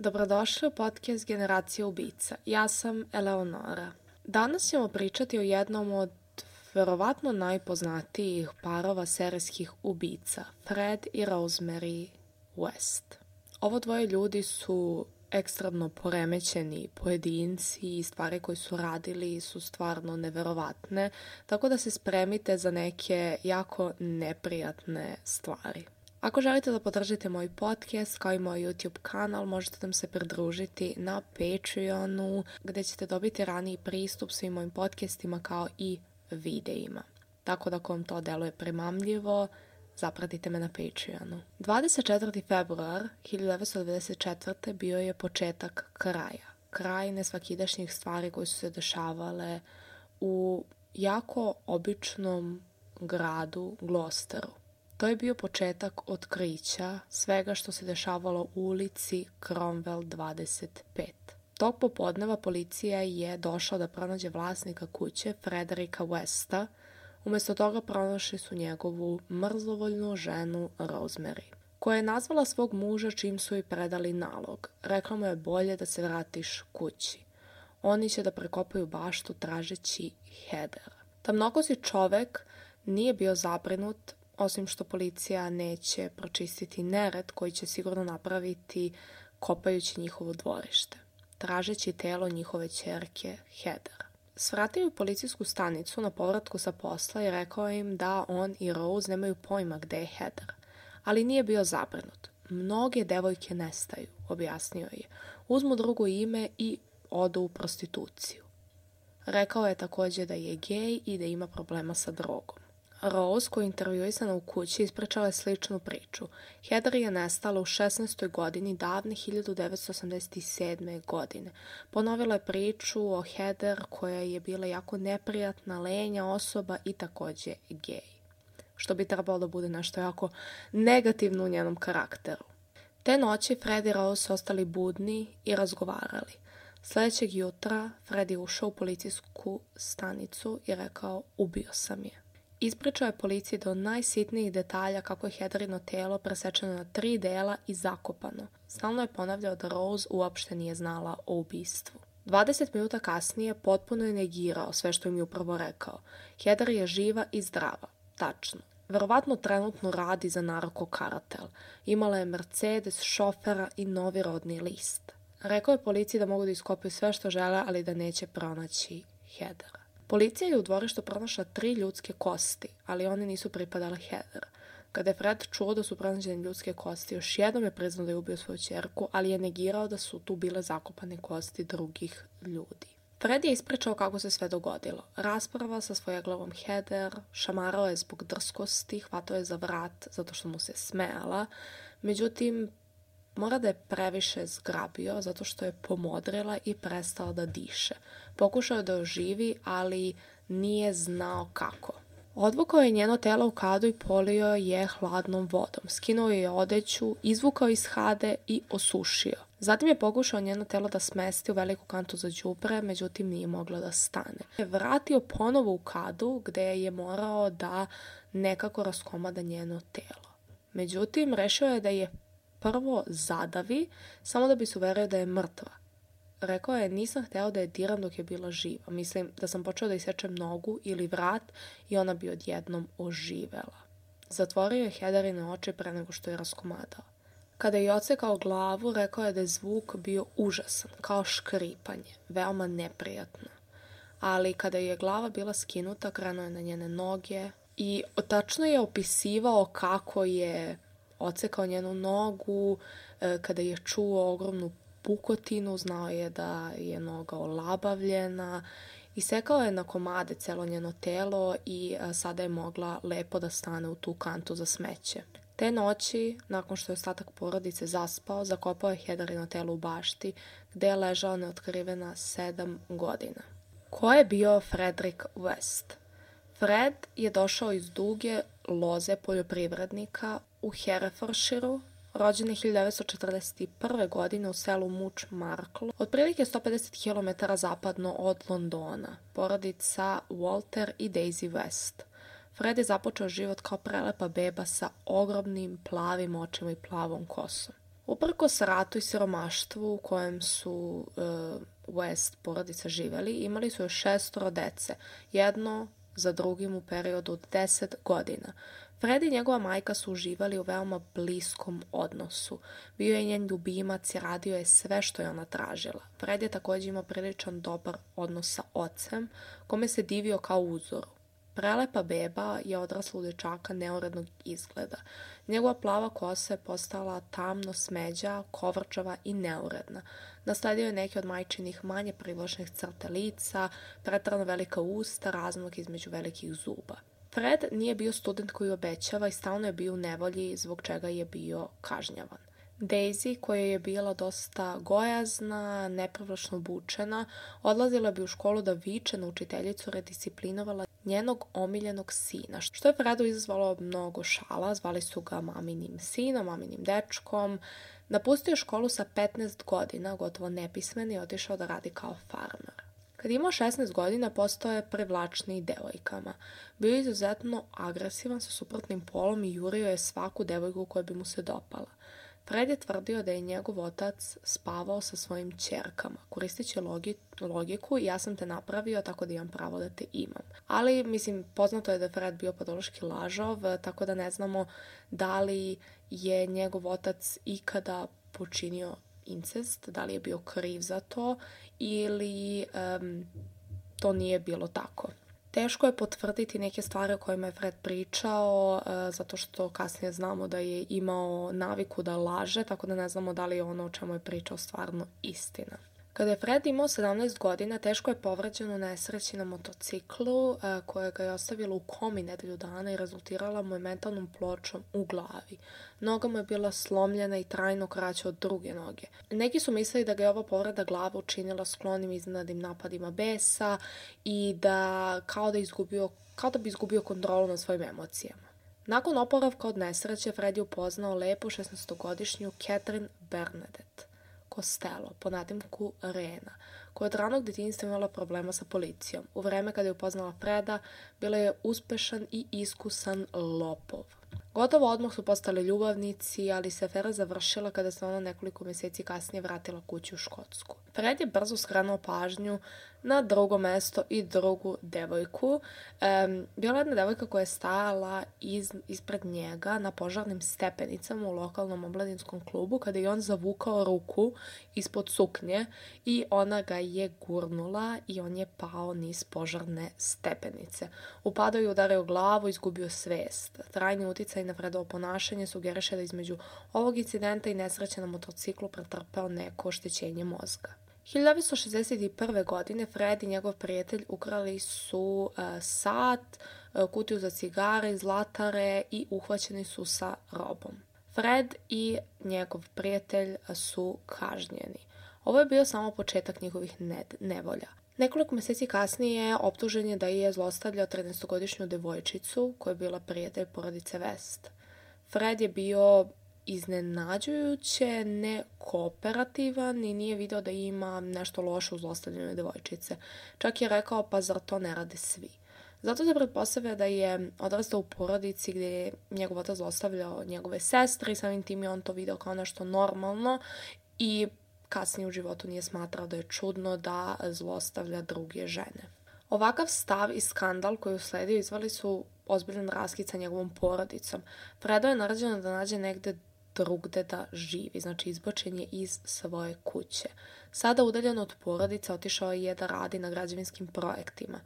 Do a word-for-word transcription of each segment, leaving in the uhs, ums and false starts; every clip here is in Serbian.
Dobrodošli u podcast Generacija ubica. Ja sam Eleonora. Danas ćemo pričati o jednom od verovatno najpoznatijih parova serijskih ubica, Fred i Rosemary West. Ovo dvoje ljudi su ekstremno poremećeni pojedinci i stvari koje su radili su stvarno neverovatne, tako da se spremite za neke jako neprijatne stvari. Ako želite da podržite moj podcast kao i moj YouTube kanal, možete nam se pridružiti na Patreonu gdje ćete dobiti raniji pristup svim mojim podcastima kao i videima. Tako da ako vam to deluje primamljivo, zapratite me na Patreonu. dvadeset četvrti februar hiljadu devetsto devedeset četvrte bio je početak kraja. Kraj nesvakidašnjih stvari koje su se dešavale u jako običnom gradu Gloucesteru. To je bio početak otkrića svega što se dešavalo u ulici Cromwell dvadeset pet. Tog popodneva policija je došla da pronađe vlasnika kuće, Frederika Westa. Umjesto toga pronašli su njegovu mrzovoljnu ženu Rosemary, koja je nazvala svog muža čim su joj predali nalog. Rekla mu je bolje da se vratiš kući. Oni će da prekopaju baštu tražeći Heather. Tamnokosi čovek nije bio zabrinut, osim što policija neće pročistiti nered koji će sigurno napraviti kopajući njihovo dvorište, tražeći telo njihove ćerke Heather. Svratio u policijsku stanicu na povratku sa posla i rekao im da on i Rose nemaju pojma gde je Heather, ali nije bio zabrinut. Mnoge devojke nestaju, objasnio je. Uzmu drugo ime i odu u prostituciju. Rekao je također da je gej i da ima problema sa drogom. Rose, koja je intervjuisana u kući, ispričala je sličnu priču. Heather je nestala u šesnaestoj godini davne hiljadu devetsto osamdeset sedme. godine. Ponovila je priču o Heather koja je bila jako neprijatna, lenja osoba i također gej. Što bi trebalo da bude nešto jako negativno u njenom karakteru. Te noći Fred i Rose ostali budni i razgovarali. Sljedećeg jutra Fred je ušao u policijsku stanicu i rekao ubio sam je. Ispričao je policiji do najsitnijih detalja kako je Heatherino telo presečeno na tri dela i zakopano. Stalno je ponavljao da Rose uopšte nije znala o ubistvu. dvadeset minuta kasnije potpuno je negirao sve što im je upravo rekao. Heather je živa i zdrava. Tačno. Verovatno trenutno radi za narko-karatel. Imala je Mercedes, šofera i novi rodni list. Rekao je policiji da mogu da iskopaju sve što žele, ali da neće pronaći Heather. Policija je u dvorištu pronašla tri ljudske kosti, ali one nisu pripadale Heather. Kada je Fred čuo da su pronađene ljudske kosti, još jednom je priznao da je ubio svoju ćerku, ali je negirao da su tu bile zakopane kosti drugih ljudi. Fred je ispričao kako se sve dogodilo. Rasprava sa svojeglavom Heather, šamarao je zbog drskosti, hvatao je za vrat zato što mu se smejala, međutim, mora da je previše zgrabio zato što je pomodrila i prestala da diše. Pokušao je da oživi, ali nije znao kako. Odvukao je njeno telo u kadu i polio je hladnom vodom. Skinuo je odeću, izvukao iz hade i osušio. Zatim je pokušao njeno telo da smesti u veliku kantu za đubre, međutim nije mogla da stane. Vratio ponovo u kadu gde je morao da nekako raskomada njeno telo. Međutim, rešio je da je prvo zadavi, samo da bi se uverio da je mrtva. Rekao je, nisam hteo da je diram dok je bila živa. Mislim da sam počeo da isečem nogu ili vrat i ona bi odjednom oživela. Zatvorio je Heatherine oči pre nego što je raskomadao. Kada je odsekao glavu, rekao je da je zvuk bio užasan, kao škripanje, veoma neprijatno. Ali kada je glava bila skinuta, krenuo je na njene noge i tačno je opisivao kako je odsekao njenu nogu, kada je čuo ogromnu pukotinu, znao je da je noga olabavljena, isekao je na komade celo njeno telo i sada je mogla lepo da stane u tu kantu za smeće. Te noći, nakon što je ostatak porodice zaspao, zakopao je Heatherino telo u bašti, gde je ležao neotkrivena sedam godina. Ko je bio Frederick West? Fred je došao iz duge loze poljoprivrednika u Herefordshireu, rođen je hiljadu devetsto četrdeset prve. godine u selu Much Markle, otprilike sto pedeset kilometara zapadno od Londona, porodica Walter i Daisy West. Fred je započeo život kao prelepa beba sa ogromnim plavim očima i plavom kosom. Uprkos ratu i siromaštvu u kojem su e, West porodica živeli, imali su još šestoro dece, jedno za drugim u periodu od deset godina. Fred i njegova majka su uživali u veoma bliskom odnosu. Bio je njen ljubimac i radio je sve što je ona tražila. Fred je također imao priličan dobar odnos sa ocem, kome se divio kao uzoru. Prelepa beba je odrasla u dečaka neurednog izgleda. Njegova plava kosa je postala tamno smeđa, kovrčava i neuredna. Nasledio je neke od majčinih manje privlačnih crta lica, preterano velika usta, razmak između velikih zuba. Fred nije bio student koji obećava i stalno je bio u nevolji, zbog čega je bio kažnjavan. Daisy, koja je bila dosta gojazna, neprivlačno obučena, odlazila bi u školu da viče na učiteljicu, redisciplinovala njenog omiljenog sina, što je Fredu izazvalo mnogo šala. Zvali su ga maminim sinom, maminim dečkom. Napustio je školu sa petnaest godina, gotovo nepismen, i otišao da radi kao farmer. Kad je imao šesnaest godina, postao je privlačniji devojkama. Bio je izuzetno agresivan sa suprotnim polom i jurio je svaku devojku koja bi mu se dopala. Fred je tvrdio da je njegov otac spavao sa svojim ćerkama, koristeći logi, logiku ja sam te napravio, tako da imam pravo da te imam. Ali, mislim, poznato je da je Fred bio patološki lažov, tako da ne znamo da li je njegov otac ikada počinio incest, da li je bio kriv za to ili um, to nije bilo tako. Teško je potvrditi neke stvari o kojima je Fred pričao, e, zato što kasnije znamo da je imao naviku da laže, tako da ne znamo da li je ono o čemu je pričao stvarno istina. Kada je Fred imao sedamnaest godina, teško je povređen u nesreći na motociklu, e, koja ga je ostavila u komi nedelju dana i rezultirala mu je mentalnom pločom u glavi. Noga mu je bila slomljena i trajno kraća od druge noge. Neki su mislili da ga je ova povreda glave učinila sklonim iznenadnim napadima besa i da kao da, izgubio, kao da bi izgubio kontrolu nad svojim emocijama. Nakon oporavka od nesreće, Fred je upoznao lepu šesnaestogodišnju Catherine Bernadette Costello, po nadimku Rena, koja od ranog djetinjstva imala problema sa policijom. U vreme kada je upoznala Freda, bila je uspešan i iskusan lopov. Gotovo odmah su postali ljubavnici, ali se afera završila kada se ona nekoliko mjeseci kasnije vratila kući u Škotsku. Fred je brzo skrenuo pažnju na drugo mesto i drugu devojku. Um, bila jedna devojka koja je stajala iz, ispred njega na požarnim stepenicama u lokalnom omladinskom klubu kada je on zavukao ruku ispod suknje i ona ga je gurnula i on je pao niz požarne stepenice. Upadao je, udario glavu, izgubio svest. Trajni uticaj na Fredovo ponašanje sugeriše da između ovog incidenta i nesreće na motociklu pretrpeo neko oštećenje mozga. hiljadu devetsto šezdeset prve. godine Fred i njegov prijatelj ukrali su uh, sat, uh, kutiju za cigare, zlatare i uhvaćeni su sa robom. Fred i njegov prijatelj su kažnjeni. Ovo je bio samo početak njihovih nevolja. Nekoliko mjeseci kasnije optužen je da je zlostavljao trinaestogodišnju devojčicu koja je bila prijatelj porodice West. Fred je bio iznenađujuće nekooperativan i nije video da ima nešto loše u zlostavljanju devojčice. Čak je rekao, pa zar to ne rade svi? Zato se pretpostavlja da je odrastao u porodici gdje je njegov otac zlostavljao njegove sestre i samim tim je on to video kao nešto normalno i kasnije u životu nije smatrao da je čudno da zlostavlja druge žene. Ovakav stav i skandal koji usledio izvali su ozbiljan raskid sa njegovom porodicom. Fredo je naređeno da nađe negde drugde da živi, znači izbačen je iz svoje kuće. Sada udaljen od porodice otišao je da radi na građevinskim projektima.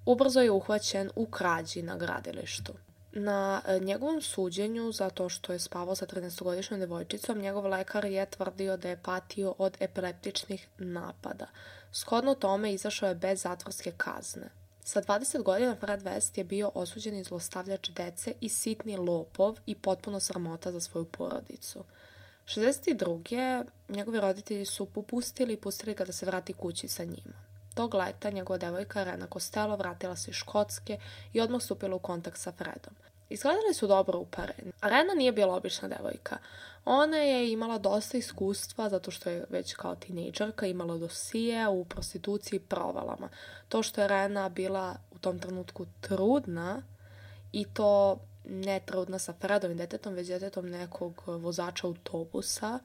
Ubrzo je uhvaćen u krađi na gradilištu. Na njegovom suđenju, zato što je spavao sa trinaestogodišnjom devojčicom, njegov lekar je tvrdio da je patio od epileptičnih napada. Shodno tome izašao je bez zatvorske kazne. Sa dvadeset godina Fred West je bio osuđen i zlostavljač dece i sitni lopov i potpuno sramota za svoju porodicu. šezdeset druge. njegovi roditelji su popustili i pustili ga da se vrati kući sa njima. Tog leta njegova devojka Rena Costello vratila se iz Škotske i odmah stupila u kontakt sa Fredom. Izgledali su dobro upareni. Rena nije bila obična devojka. Ona je imala dosta iskustva zato što je već kao tinejdžerka imala dosije u prostituciji i provalama. To što je Rena bila u tom trenutku trudna i to ne trudna sa Fredovim djetetom, već djetetom nekog vozača autobusa,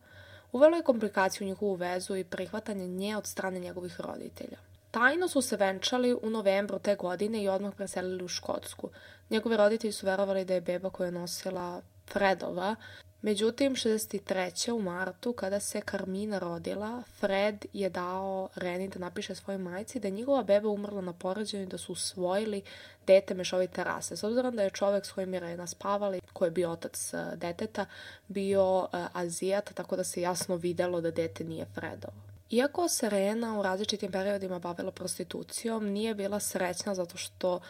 uvelo je komplikaciju u njihovu vezu i prihvatanje nje od strane njegovih roditelja. Tajno su se venčali u novembru te godine i odmah preselili u Škotsku. Njegovi roditelji su verovali da je beba koju je nosila Fredova. Međutim, šezdeset treće u martu, kada se Carmina rodila, Fred je dao Reni da napiše svojoj majci da je njegova beba umrla na porođaju i da su usvojili dete mešovite rase. S obzirom da je čovek s kojim je Rena spavala, koji je bio otac deteta, bio uh, Azijat, tako da se jasno videlo da dete nije Fredovo. Iako se Rena u različitim periodima bavila prostitucijom, nije bila srećna zato što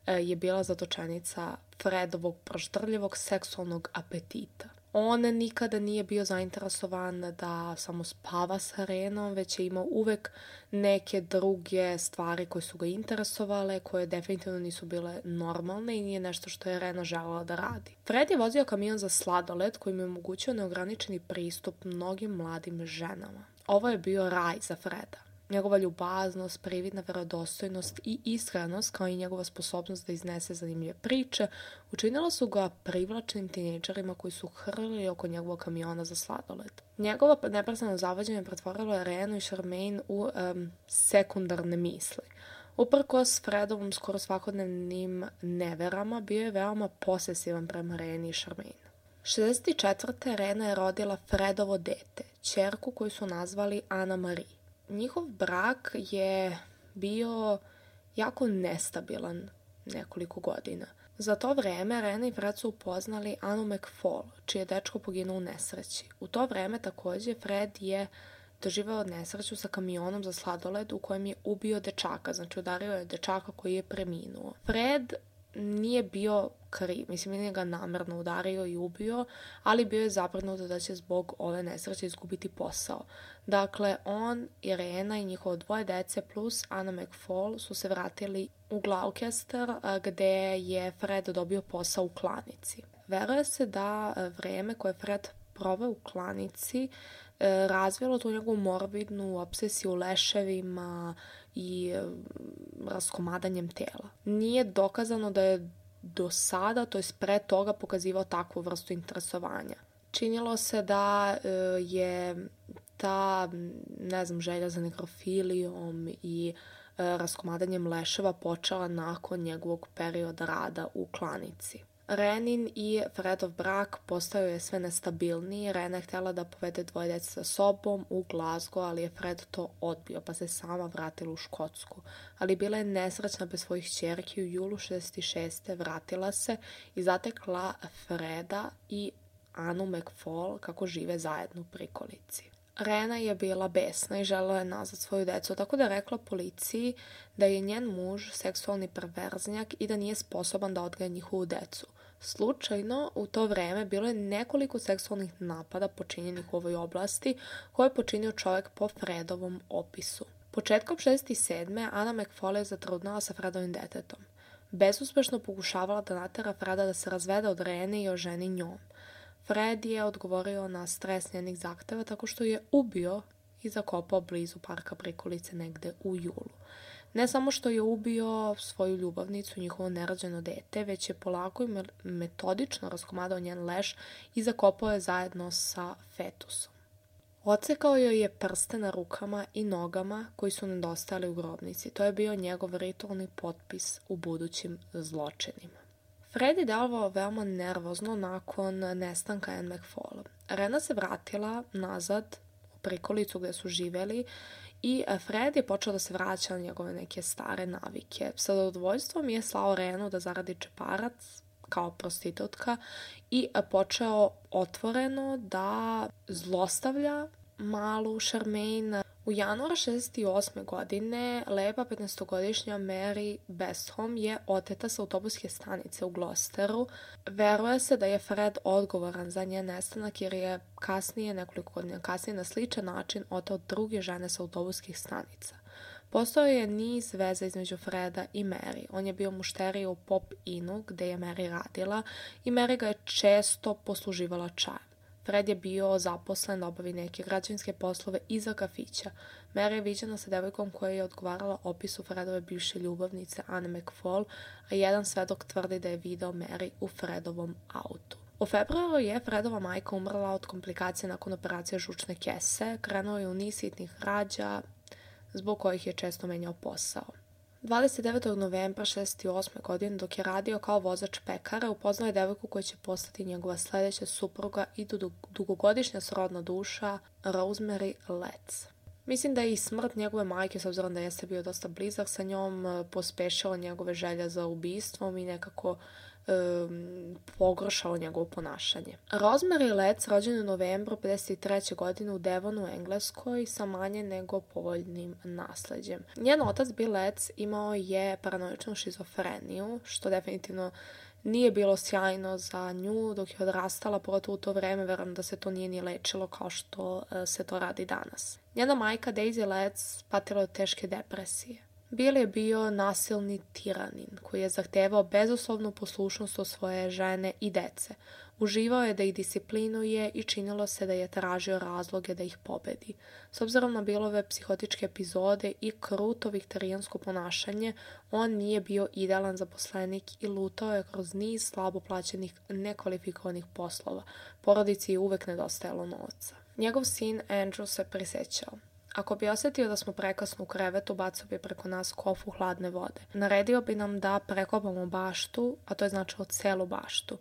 je bila zatočenica Fredovog proštrljivog seksualnog apetita. On nikada nije bio zainteresovan da samo spava sa Renom, već je imao uvek neke druge stvari koje su ga interesovale, koje definitivno nisu bile normalne i nije nešto što je Rena želela da radi. Fred je vozio kamion za sladoled koji mu je omogućio neograničeni pristup mnogim mladim ženama. Ovo je bio raj za Freda. Njegova ljubaznost, prividna verodostojnost i iskrenost, kao i njegova sposobnost da iznese zanimljive priče, učinila su ga privlačnim tinejdžerima koji su hrlili oko njegovog kamiona za sladoled. Njegovo neprestano zavođenje pretvorilo je Renu i Charmaine u um, sekundarne misli. Uprkos Fredovom skoro svakodnevnim neverama, bio je veoma posesivan prema Reni i Charmaine. šezdeset četvrte Rena je rodila Fredovo dete, ćerku koju su nazvali Anna Marie. Njihov brak je bio jako nestabilan nekoliko godina. Za to vreme Rena i Fred su upoznali Annu McFall, čiji je dečko poginuo u nesreći. U to vreme takođe Fred je doživao nesreću sa kamionom za sladoled u kojem je ubio dečaka, znači udario je dečaka koji je preminuo. Fred nije bio kriv, mislim nije ga namerno udario i ubio, ali bio je zabrinut da će zbog ove nesreće izgubiti posao. Dakle, on i Rena i njihovo dvoje dece plus Anna McFall su se vratili u Gloucester gde je Fred dobio posao u klanici. Veruje se da vreme koje Fred proveo u klanici razvilo tu njegovu morbidnu obsesiju leševima i raskomadanjem tela. Nije dokazano da je do sada, to je pre toga, pokazivao takvu vrstu interesovanja. Činilo se da je ta, ne znam, želja za nekrofilijom i raskomadanjem leševa počela nakon njegovog perioda rada u klanici. Renin i Fredov brak postao je sve nestabilniji. Rena je htjela da povede dvoje dece sa sobom u Glasgow, ali je Fred to odbio, pa se sama vratila u Škotsku. Ali bila je nesrećna bez svojih ćerki. U julu šezdeset šeste vratila se i zatekla Freda i Annu McFall kako žive zajedno u prikolici. Rena je bila besna i želela je nazad svoju decu, tako da je rekla policiji da je njen muž seksualni perverznjak i da nije sposoban da odgaja njihovu decu. Slučajno, u to vreme bilo je nekoliko seksualnih napada počinjenih u ovoj oblasti koje je počinio čovjek po Fredovom opisu. Početkom šezdeset sedme Anna McFall je zatrudnala sa Fredovim detetom. Bezuspešno pokušavala da natera Freda da se razvede od Rene i oženi njom. Fred je odgovorio na stres njenih zahteva tako što je ubio i zakopao blizu parka prikolice negde u julu. Ne samo što je ubio svoju ljubavnicu, njihovo nerođeno dete, već je polako i metodično raskomadao njen leš i zakopao je zajedno sa fetusom. Odsekao joj je prste na rukama i nogama koji su nedostajali u grobnici. To je bio njegov ritualni potpis u budućim zločinima. Fred je delovao veoma nervozno nakon nestanka Anne McFall. Rena se vratila nazad u prikolicu gde su živeli i Fred je počeo da se vraća na njegove neke stare navike. Sa zadovoljstvom je slao Renu da zaradi džeparac kao prostitutka i počeo otvoreno da zlostavlja malu Charmaine. U januara šezdeset osme godine lepa petnaestogodišnja Mary Bestham je oteta sa autobuske stanice u Gloucesteru. Veruje se da je Fred odgovoran za njen nestanak jer je kasnije, nekoliko godina kasnije, na sličan način oteo druge žene sa autobuskih stanica. Postojao je niz veza između Freda i Mary. On je bio mušterija u Pop Innu gde je Mary radila i Mary ga je često posluživala čajem. Fred je bio zaposlen da obavi neke građevinske poslove iza kafića. Mary je viđena sa devojkom koja je odgovarala opisu Fredove bivše ljubavnice Anne McFall, a jedan svedok tvrdi da je video Mary u Fredovom autu. U februaru je Fredova majka umrla od komplikacije nakon operacije žučne kese, krenuo je u niz sitnih rađa, zbog kojih je često menjao posao. dvadeset devetog novembra šezdeset osme. godine, dok je radio kao vozač pekara, upoznao je devojku koja će postati njegova sledeća supruga i dugogodišnja srodna duša Rosemary Letts. Mislim da je i smrt njegove majke, s obzirom da jeste bio dosta blizak sa njom, pospešila njegove želje za ubistvom i nekako um, pogoršalo njegovo ponašanje. Rosemary Letts rođena u novembru pedeset treće. godine u Devonu, u Engleskoj, sa manje nego povoljnim nasleđem. Njen otac Bill Letts imao je paranoičnu šizofreniju, što definitivno nije bilo sjajno za nju dok je odrastala, pogotovo u to vreme, verujem da se to nije ni lečilo kao što se to radi danas. Njena majka Daisy Letts patila od teške depresije. Bill je bio nasilni tiranin koji je zahtevao bezuslovnu poslušnost od svoje žene i dece. Uživao je da ih disciplinuje i činilo se da je tražio razloge da ih pobedi. S obzirom na Billove psihotičke epizode i kruto viktorijansko ponašanje, on nije bio idealan zaposlenik i lutao je kroz niz slabo plaćenih nekvalifikovanih poslova. Porodici je uvek nedostajalo novca. Njegov sin Andrew se prisjećao. Ako bi osjetio da smo prekasno u krevetu, bacao bi preko nas kofu hladne vode. Naredio bi nam da prekopamo baštu, a to je značilo celu baštu.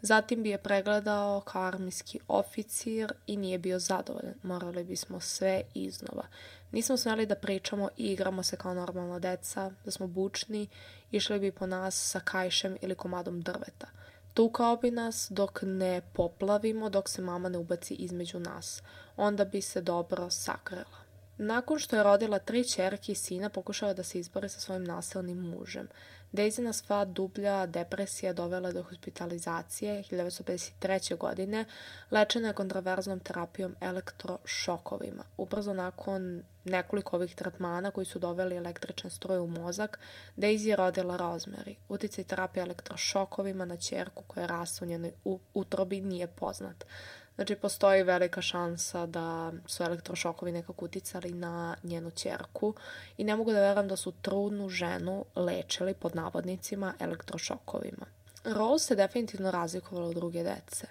Zatim bi je pregledao kao armijski oficir i nije bio zadovoljan. Morali bismo sve iznova. Nismo smjeli da pričamo i igramo se kao normalna deca, da smo bučni, išli bi po nas sa kajšem ili komadom drveta. Tukao bi nas dok ne poplavimo, dok se mama ne ubaci između nas. Onda bi se dobro sakrila. Nakon što je rodila tri ćerke i sina, pokušala da se izbori sa svojim nasilnim mužem. Daisy sva dublja depresija dovela do hospitalizacije hiljadu devetsto pedeset treće. godine, lečena je kontroverznom terapijom elektrošokovima. Ubrzo nakon nekoliko ovih tretmana koji su doveli električne struje u mozak, Daisy je rodila Rosemary. Uticaj terapije elektrošokovima na ćerku koja rasta u njenoj utrobi nije poznat. Znači, postoji velika šansa da su elektrošokovi nekako uticali na njenu ćerku i ne mogu da verujem da su trudnu ženu lečili pod navodnicima elektrošokovima. Rose se definitivno razlikovala od druge dece.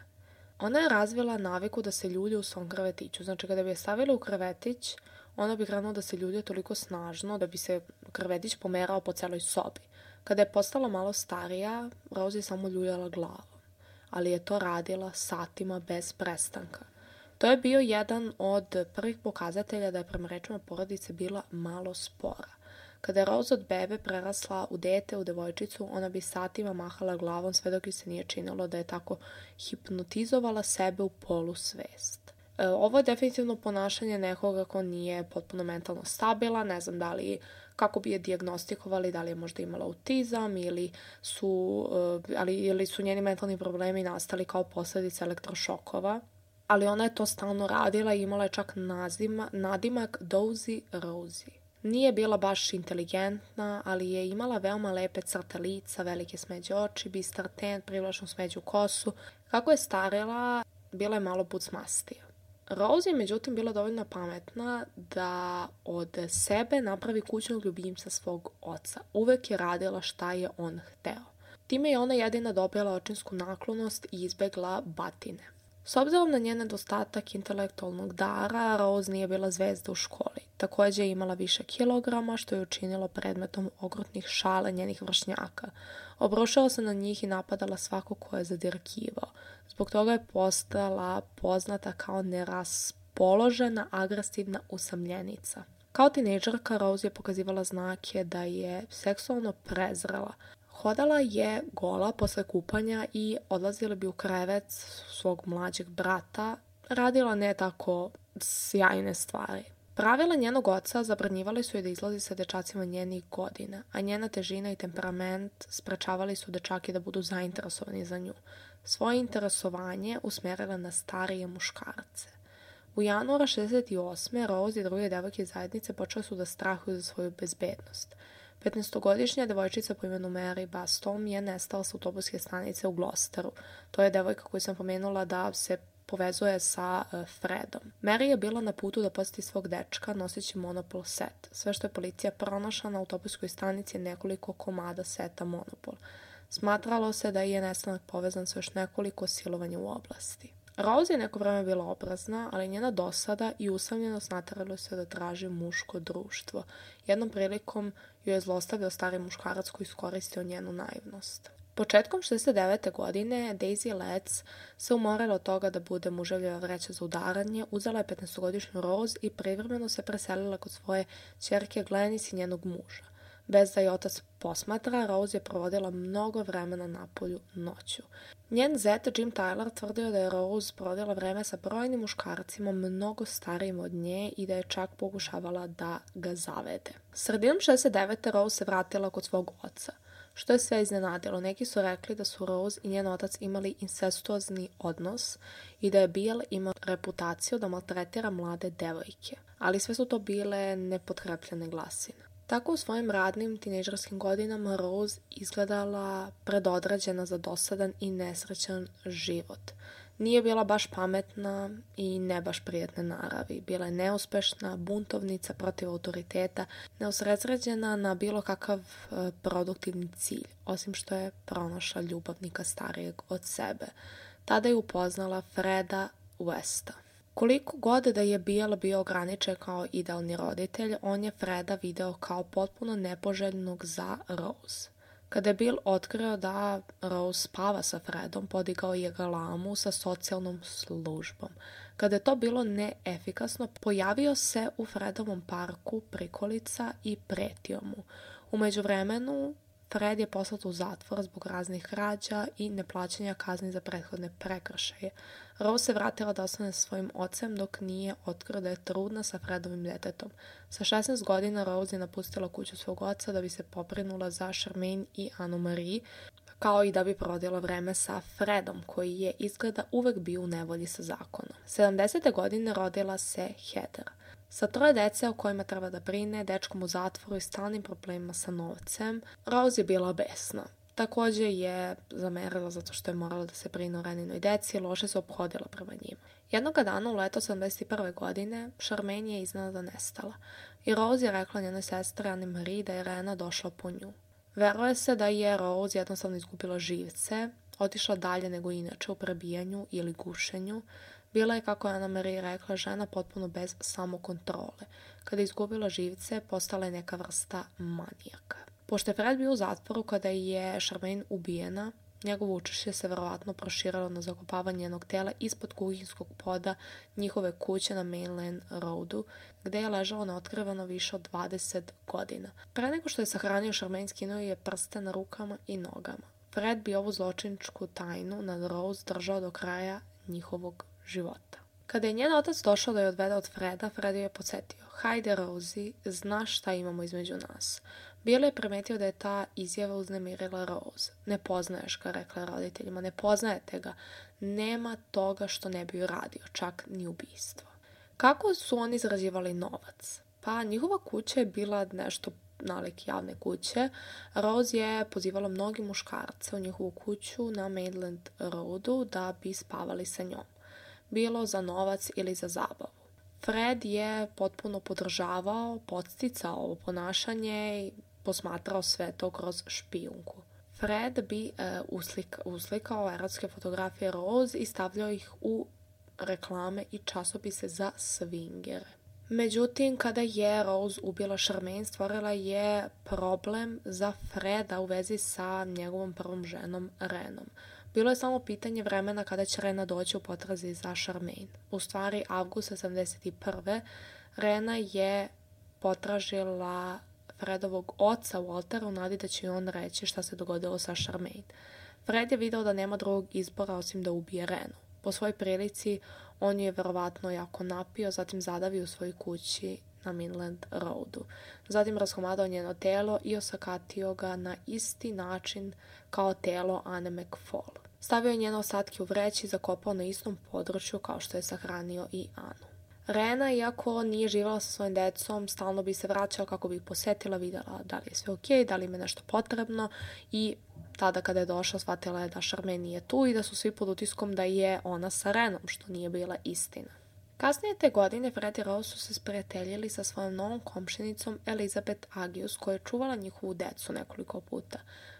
Ona je razvila naviku da se ljulja u svom krevetiću. Znači, kada bi je stavila u krevetić, ona bi krenula da se ljulja toliko snažno da bi se krevetić pomerao po celoj sobi. Kada je postala malo starija, Rose je samo ljuljala glavu, ali je to radila satima bez prestanka. To je bio jedan od prvih pokazatelja da je prema rečima porodice bila malo spora. Kada je Rose od bebe prerasla u dete, u devojčicu, ona bi satima mahala glavom sve dok joj se nije činilo da je tako hipnotizovala sebe u polusvest. E, ovo je definitivno ponašanje nekoga ko nije potpuno mentalno stabilan, ne znam da li kako bi je dijagnostikovali, da li je možda imala autizam ili su, ali, ili su njeni mentalni problemi nastali kao posljedica elektrošokova. Ali ona je to stalno radila i imala je čak nazima, nadimak Dozy Rosie. Nije bila baš inteligentna, ali je imala veoma lepe crte lica, velike smeđe oči, bistar ten, privlačnu smeđu kosu. Kako je starila, bila je malo bucmastija. Rose je međutim bila dovoljno pametna da od sebe napravi kućnog ljubimca svog oca. Uvek je radila šta je on hteo. Time je ona jedina dobila očinsku naklonost i izbegla batine. S obzirom na njen nedostatak intelektualnog dara, Rose nije bila zvezda u školi. Također je imala više kilograma, što je učinilo predmetom okrutnih šala njenih vršnjaka. Obrušala se na njih i napadala svako ko je zadirkivao. Zbog toga je postala poznata kao neraspoložena, agresivna usamljenica. Kao tinejdžerka Rose je pokazivala znake da je seksualno prezrela. Hodala je gola posle kupanja i odlazila bi u krevet svog mlađeg brata. Radila ne tako sjajne stvari. Pravila njenog oca zabranjivali su je da izlazi sa dečacima njenih godina, a njena težina i temperament sprečavali su dečake da budu zainteresovani za nju. Svoje interesovanje usmjerila na starije muškarce. U januara šezdeset osme. Rose i druge devojke zajednice počele su da strahuju za svoju bezbednost. petnaestogodišnja devojčica po imenu Mary Bastom je nestala sa autobuske stanice u Gloucesteru. To je devojka koju sam pomenula da se povezuje sa Fredom. Mary je bila na putu da posjeti svog dečka noseći Monopol set. Sve što je policija pronašla na autobuskoj stanici je nekoliko komada seta Monopol. Smatralo se da je nestanak povezan sa još nekoliko silovanja u oblasti. Rose je neko vreme bila obrazna, ali njena dosada i usamljenost naterali se da traži muško društvo. Jednom prilikom ju je zlostavio stari muškarac koji iskoristio njenu naivnost. Početkom šezdeset devete. godine Daisy Letts se umorila od toga da bude muževljeva vreća za udaranje, uzela je petnaestogodišnju Rose i privremeno se preselila kod svoje ćerke Glenys i njenog muža. Bez da je otac posmatra, Rose je provodila mnogo vremena napolju noću. Njen zet Jim Tyler tvrdio da je Rose provodila vreme sa brojnim muškarcima mnogo starijim od nje i da je čak pokušavala da ga zavede. Sredinom šezdeset devete. Rose se vratila kod svog oca, što je sve iznenadilo. Neki su rekli da su Rose i njen otac imali incestuozni odnos i da je Bill imao reputaciju da maltretira mlade devojke, ali sve su to bile nepotkrepljene glasine. Tako u svojim radnim tinejdžerskim godinama Rose izgledala predodređena za dosadan i nesrećan život. Nije bila baš pametna i ne baš prijatne naravi. Bila je neuspešna, buntovnica protiv autoriteta, neusredsređena na bilo kakav e, produktivni cilj, osim što je pronašla ljubavnika starijeg od sebe. Tada je upoznala Freda Westa. Koliko god da je Bill bio ograničen kao idealni roditelj, on je Freda video kao potpuno nepoželjnog za Rose. Kada je Bill otkrio da Rose spava sa Fredom, podigao je galamu sa socijalnom službom. Kada je to bilo neefikasno, pojavio se u Fredovom parku prikolica i pretio mu. U međuvremenu, Fred je poslat u zatvor zbog raznih krađa i neplaćanja kazni za prethodne prekršaje. Rose se vratila da ostane sa svojim ocem dok nije otkrio da je trudna sa Fredovim detetom. Sa šesnaest godina Rose je napustila kuću svog oca da bi se poprinula za Charmaine i Anne-Marie, kao i da bi provodila vreme sa Fredom, koji je izgleda uvek bio u nevolji sa zakonom. sedamdesete. godine rodila se Heather. Sa troje dece o kojima treba da brine, dečkom u zatvoru i stalnim problemima sa novcem, Rose je bila besna. Također je zamerila zato što je morala da se brine o Reninoj deci i loše se ophodila prema njima. Jednoga dana u leto sedamdeset prve. godine Charmaine je iznenada nestala i Rose je rekla njenoj sestri Anne-Marie da je Rena došla po nju. Veruje se da je Rose jednostavno izgubila živce, otišla dalje nego inače u prebijanju ili gušenju. Bila je, kako je Anne-Marie rekla, žena potpuno bez samokontrole. Kada je izgubila živce, postala je neka vrsta manijaka. Pošto je Fred bio u zatvoru kada je Charmaine ubijena, njegovo učešće se verovatno proširilo na zakopavanje njenog tela ispod kuhinskog poda njihove kuće na Mainland Roadu, gde je ležalo neotkriveno više od dvadeset godina. Pre nego što je sahranio Charmaine, skinuo je prste na rukama i nogama. Fred bi ovu zločiničku tajnu nad Rose držao do kraja njihovog života. Kada je njen otac došao da je odvede od Freda, Fred je podsjetio: "Hajde, Rosie, znaš šta imamo između nas." Bill je primetio da je ta izjava uznemirila Rose. "Ne poznaješ ga," rekla roditeljima, "ne poznajete ga. Nema toga što ne bi uradio, čak ni ubistvo." Kako su oni zarađivali novac? Pa njihova kuća je bila nešto nalik javne kuće. Rose je pozivala mnogi muškarce u njihovu kuću na Mainland Roadu da bi spavali sa njom, bilo za novac ili za zabavu. Fred je potpuno podržavao, podsticao ovo ponašanje i posmatrao sve to kroz špijunku. Fred bi e, uslika, uslikao erotske fotografije Rose i stavljao ih u reklame i časopise za swingere. Međutim, kada je Rose ubila Charmaine, stvorila je problem za Freda u vezi sa njegovom prvom ženom Renom. Bilo je samo pitanje vremena kada će Rena doći u potrazi za Charmaine. U stvari, avgusta sedamdeset prve. Rena je potražila Fredovog oca Waltera u nadi da će on reći šta se dogodilo sa Charmaine. Fred je video da nema drugog izbora osim da ubije Renu. Po svojoj prilici, on je verovatno jako napio, zatim zadavio u svojoj kući na Mainland Roadu. Zatim raskomadao njeno telo i osakatio ga na isti način kao telo Anne McFall. Stavio je njene ostatke u vreći i zakopao na istom području kao što je sahranio i Anu. Rena, iako nije živjela sa svojim decom, stalno bi se vraćala kako bi ih posetila, vidjela da li je sve ok, da li im je nešto potrebno, i tada kada je došla shvatila je da Charmaine nije tu i da su svi pod utiskom da je ona sa Renom, što nije bila istina. Kasnije te godine Fred i Rose su se sprijateljili sa svojom novom komšinicom Elizabeth Agius, koja je čuvala njihovu decu nekoliko puta.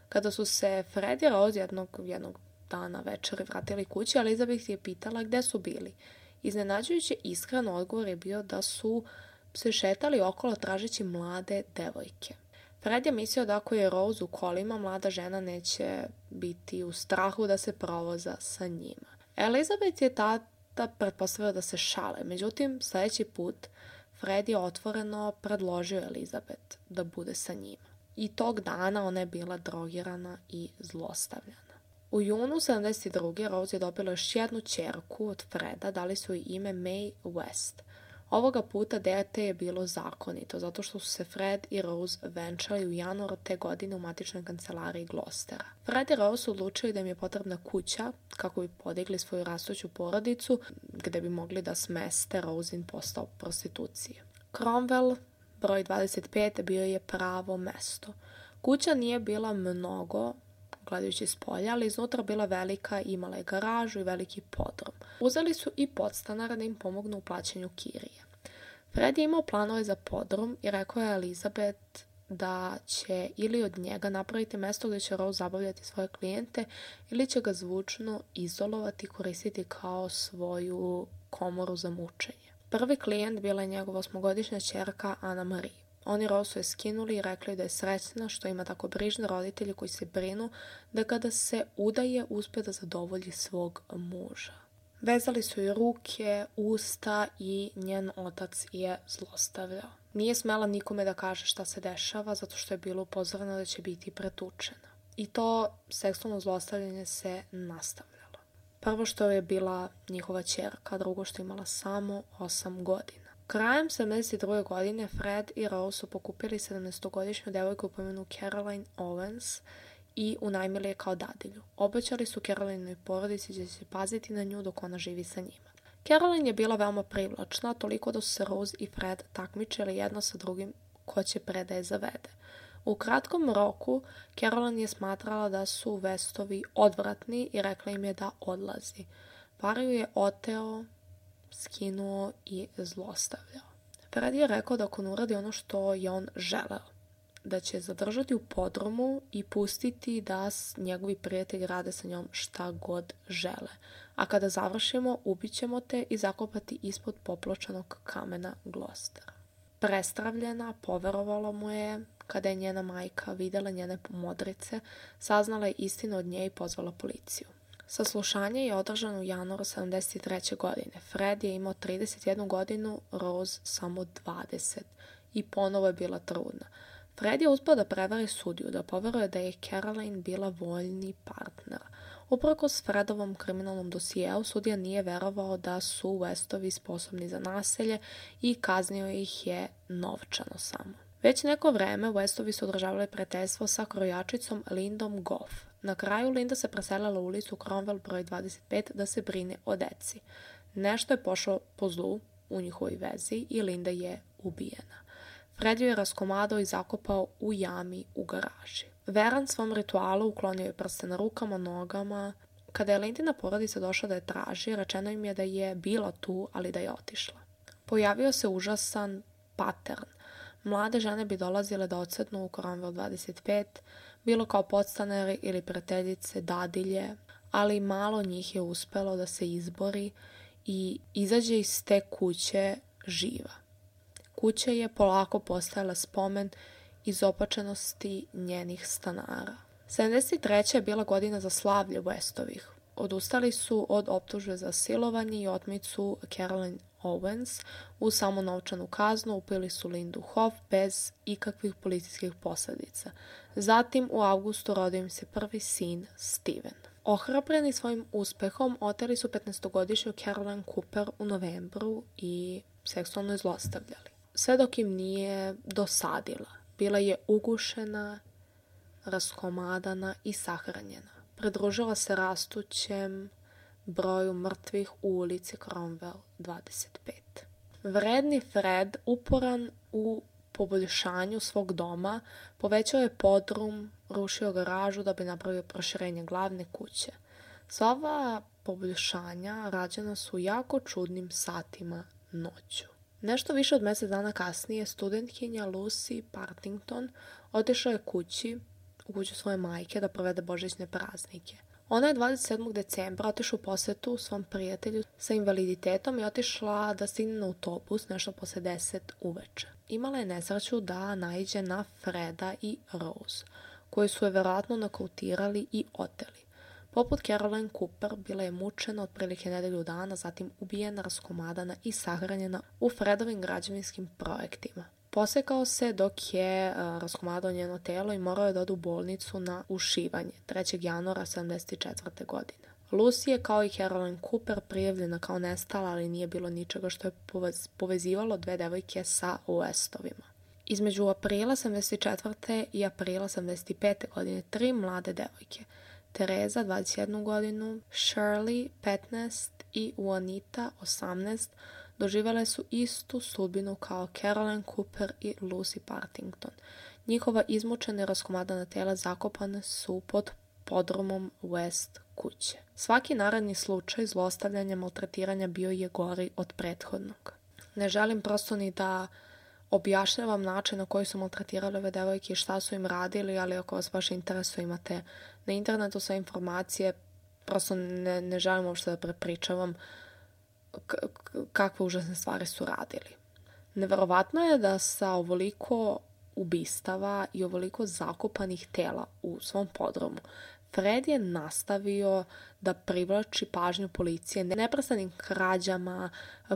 Kada su se Fred i Rose jednog, jednog dana večeri vratili kući, Elizabeth je pitala gde su bili. Iznenađujuće iskren odgovor je bio da su se šetali okolo tražeći mlade devojke. Fred je mislio da ako je Rose u kolima, mlada žena neće biti u strahu da se provoza sa njima. Elizabeth je tada pretpostavila da se šale, međutim, sljedeći put Fred je otvoreno predložio Elizabeth da bude sa njima. I tog dana ona je bila drogirana i zlostavljana. U junu sedamdeset druge. Rose je dobila još jednu ćerku od Freda, dali su joj ime Mae West. Ovoga puta dete je bilo zakonito, zato što su se Fred i Rose venčali u januaru te godine u matičnoj kancelariji Gloucestera. Fred i Rose su odlučili da im je potrebna kuća kako bi podigli svoju rastuću porodicu, gde bi mogli da smeste Rosin posao prostitucije. Cromwell, broj dvadeset pet, bio je pravo mesto. Kuća nije bila mnogo, gledajući s polja, ali iznutra bila velika, imala je garažu i veliki podrum. Uzeli su i podstanara da im pomognu u plaćanju kirije. Fred je imao planove za podrum i rekao je Elizabeth da će ili od njega napraviti mesto gdje će Rose zabavljati svoje klijente ili će ga zvučno izolovati i koristiti kao svoju komoru za mučenje. Prvi klijent bila je njegova osmogodišnja ćerka Anna Marie. Oni Rose je skinuli i rekli da je srećna što ima tako brižne roditelje koji se brinu da kada se udaje uspe da zadovolji svog muža. Vezali su joj ruke, usta i njen otac je zlostavljao. Nije smela nikome da kaže šta se dešava zato što je bilo upozoreno da će biti pretučena. I to seksualno zlostavljanje se nastavljalo. Prvo što je bila njihova ćerka, drugo što je imala samo osam godina. Krajem sedamdeset druge. godine Fred i Rose su pokupili sedamnaestogodišnju devojku po imenu Caroline Owens i unajmili je kao dadilju. Obećali su Carolinoj porodici da će paziti na nju dok ona živi sa njima. Caroline je bila veoma privlačna, toliko da su se Rose i Fred takmičili jedno sa drugim ko će pre da je zavede. U kratkom roku Caroline je smatrala da su Westovi odvratni i rekla im je da odlazi. Par ju je oteo, skinuo i zlostavljao. Fred je rekao da ako ne uradi ono što je on želeo, da će zadržati u podrumu i pustiti da njegovi prijatelji rade sa njom šta god žele. A kada završimo, ubićemo te i zakopati ispod popločanog kamena Gloucestera. Prestravljena, poverovala mu je kada je njena majka videla njene modrice, saznala je istinu od nje i pozvala policiju. Saslušanje je održano u januaru sedamdeset treće. godine. Fred je imao trideset jednu godinu, Rose samo dvadeset i ponovo je bila trudna. Fred je uspio da prevari sudiju, da poveruje da je Caroline bila voljni partner. Uprkos Fredovom kriminalnom dosijeu, sudija nije verovao da su Westovi sposobni za nasilje i kaznio ih je novčano samo. Već neko vreme Westovi su održavali prijateljstvo sa krojačicom Lindom Goff. Na kraju Linda se preselila u ulicu Cromwell broj dvadeset pet da se brine o deci. Nešto je pošlo po zlu u njihovoj vezi i Linda je ubijena. Fred ju je raskomadao i zakopao u jami u garaži. Veran svom ritualu uklonio je prste na rukama, nogama. Kada je Lindina porodica došla da je traži, rečeno im je da je bila tu, ali da je otišla. Pojavio se užasan pattern. Mlade žene bi dolazile da odsetnu u Cromwell dvadeset pet, bilo kao podstanari ili prijateljice, dadilje, ali malo njih je uspelo da se izbori i izađe iz te kuće živa. Kuća je polako postajala spomen izopačenosti njenih stanara. sedamdeset treća. je bila godina za slavlje Westovih. Odustali su od optužbe za silovanje i otmicu Caroline Owens uz samo novčanu kaznu, upili su Lindu Hoff bez ikakvih policijskih posljedica. Zatim u avgustu rodio im se prvi sin Steven. Ohrabreni svojim uspehom, oteli su petnaestogodišnju Caroline Cooper u novembru i seksualno je zlostavljali. Sve dok im nije dosadila. Bila je ugušena, raskomadana i sahranjena. Pridružila se rastućem broju mrtvih u ulici Cromwell dvadeset pet. Vredni Fred, uporan u poboljšanju svog doma, povećao je podrum, rušio garažu da bi napravio proširenje glavne kuće. Sva ova poboljšanja rađena su jako čudnim satima noću. Nešto više od mjesec dana kasnije studentkinja Lucy Partington otišla je kući u kuću svoje majke da provede božićne praznike. Ona je dvadeset sedmog decembra otišla u posetu svom prijatelju sa invaliditetom i otišla da stigne na autobus nešto posle deset uveče. Imala je nesreću da naiđe na Freda i Rose, koji su je verovatno nokautirali i oteli. Poput Caroline Cooper, bila je mučena otprilike nedelju dana, zatim ubijena, raskomadana i sahranjena u Fredovim građevinskim projektima. Posekao se dok je uh, raskomadao njeno telo i morao je da ode u bolnicu na ušivanje trećeg januara sedamdeset četvrte. godine. Lucy je kao i Caroline Cooper prijavljena kao nestala, ali nije bilo ničega što je povez, povezivalo dve devojke sa Westovima. Između aprila sedamdeset četvrte. i aprila sedamdeset pete. godine tri mlade devojke, Tereza dvadeset jednu godinu, Shirley petnaest i Juanita osamnaest, doživjele su istu sudbinu kao Caroline Cooper i Lucy Partington. Njihova izmučena i raskomadana tela zakopane su pod podrumom West kuće. Svaki naredni slučaj zlostavljanja, maltretiranja bio je gori od prethodnog. Ne želim prosto ni da objašnjavam način na koji su maltretirali ove devojke i šta su im radili, ali ako vas baš interesuje, imate na internetu sve informacije. Prosto ne, ne želim uopšte da prepričavam k- kakve užasne stvari su radili. Neverovatno je da sa ovoliko ubistava i ovoliko zakopanih tela u svom podrumu Fred je nastavio da privlači pažnju policije neprestanim krađama,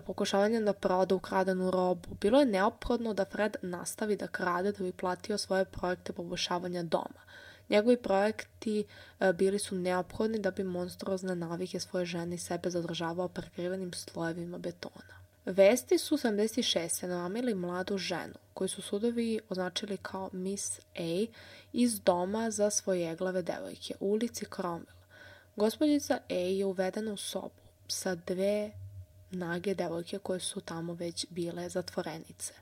pokušavanjem da proda ukradenu robu. Bilo je neophodno da Fred nastavi da krade da bi platio svoje projekte poboljšavanja doma. Njegovi projekti bili su neophodni da bi monstruozne navike svoje žene i sebe zadržavao prekrivenim slojevima betona. Vesti su sedamdeset šeste. namamili mladu ženu, koju su sudovi označili kao Miss A, iz doma za svojeglave devojke u ulici Cromwell. Gospođica A je uvedena u sobu sa dve nage devojke koje su tamo već bile zatvorenice.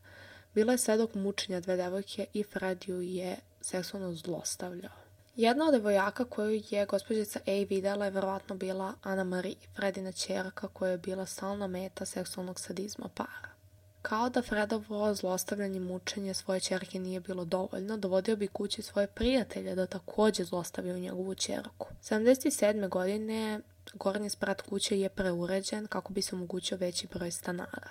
Bila je svedok mučenja dve devojke i Fred ju je seksualno zlostavljao. Jedna od devojaka koju je gospođica A videla je verovatno bila Anna Marie, Fredina ćerka koja je bila stalna meta seksualnog sadizma para. Kao da Fredovo zlostavljanje i mučenje svoje ćerke nije bilo dovoljno, dovodio bi kući svoje prijatelje da također zlostavljaju njegovu ćerku. sedamdeset sedme. godine gornji sprat kuće je preuređen kako bi se omogućio veći broj stanara.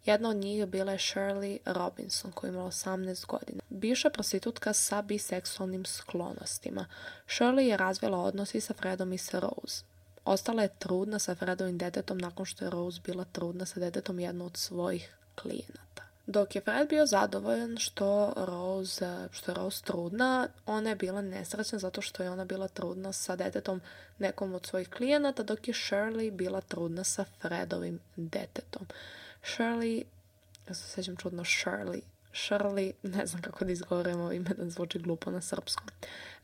Jedna od njih bila je Shirley Robinson, koja je imala osamnaest godina. Bivša prostitutka sa biseksualnim sklonostima. Shirley je razvila odnos i sa Fredom i sa Rose. Ostala je trudna sa Fredovim detetom nakon što je Rose bila trudna sa detetom jedno od svojih klijenata. Dok je Fred bio zadovoljan što, Rose, što je Rose trudna, ona je bila nesrećna zato što je ona bila trudna sa detetom nekom od svojih klijenata, dok je Shirley bila trudna sa Fredovim detetom. Shirley, ja se sjećam čudno Shirley, Shirley, ne znam kako da izgovorim ovo ime, da zvuči glupo na srpskom.